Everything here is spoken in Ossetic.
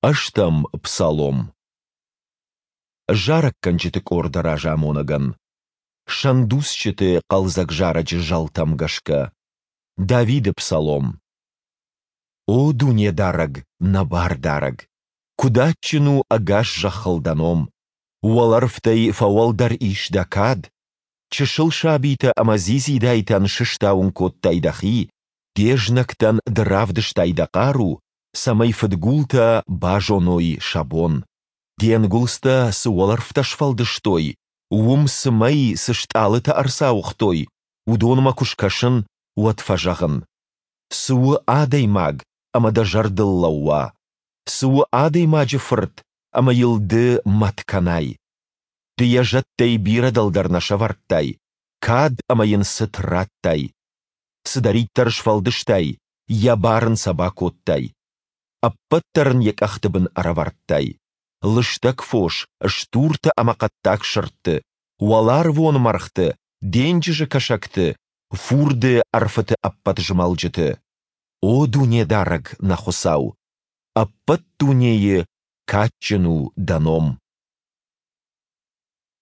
Ӕстӕм псалом. Зарӕггӕнджыты къорды разамонӕгӕн. Сӕндуцджыты хъӕлдзӕг зарӕджы зӕлтӕм гӕсгӕ. Давиды псалом. О Дунедарӕг, нӕ Бардарӕг! Куыд адджын у ӕгас зӕххыл дӕ ном! Уӕлӕрвтӕй фӕуӕлдӕр ис дӕ кад! Чысыл сабитӕ ӕмӕ дзидзидайтӕн сыстауын кодтай дӕхи, де знӕгтӕн ды равдыстай дӕ хъару, цӕмӕй фыдгултӕ базоной сӕ бон. Де нгуылдзтӕ цы уӕлӕрвтӕ сфӕлдыстой, уым цы мӕй, цы стъалытӕ ӕрцауыгътой, уыдонмӕ куы скӕсын, уӕд фӕзӕгъын: Цы у адӕймаг, ӕмӕ дӕ зӕрдыл лӕууа? Цы у адӕймаджы фырт, ӕмӕ йыл ды мӕт кӕнай? Ды йӕ зӕдтӕй бирӕ дӕлдӕр нӕ сӕвӕрдтай, кад ӕмӕ йын цыт радтай. Цыдӕриддӕр сфӕлдыстай, йӕ бар ын сӕ бакодтай. Ӕппӕт дӕр ын йӕ къӕхты бын ӕрӕвӕрдтай. Лыстӕг фос, стуртӕ ӕмӕ хъӕддаг сырдты, уӕларвон мӕргъты, денджызы кӕсӕгты, фурды ӕрфыты ӕппӕт змӕлджыты. О Дунедарӕг, нӕ Хуыцау! Ӕппӕт дунейы кадджын у дӕ ном!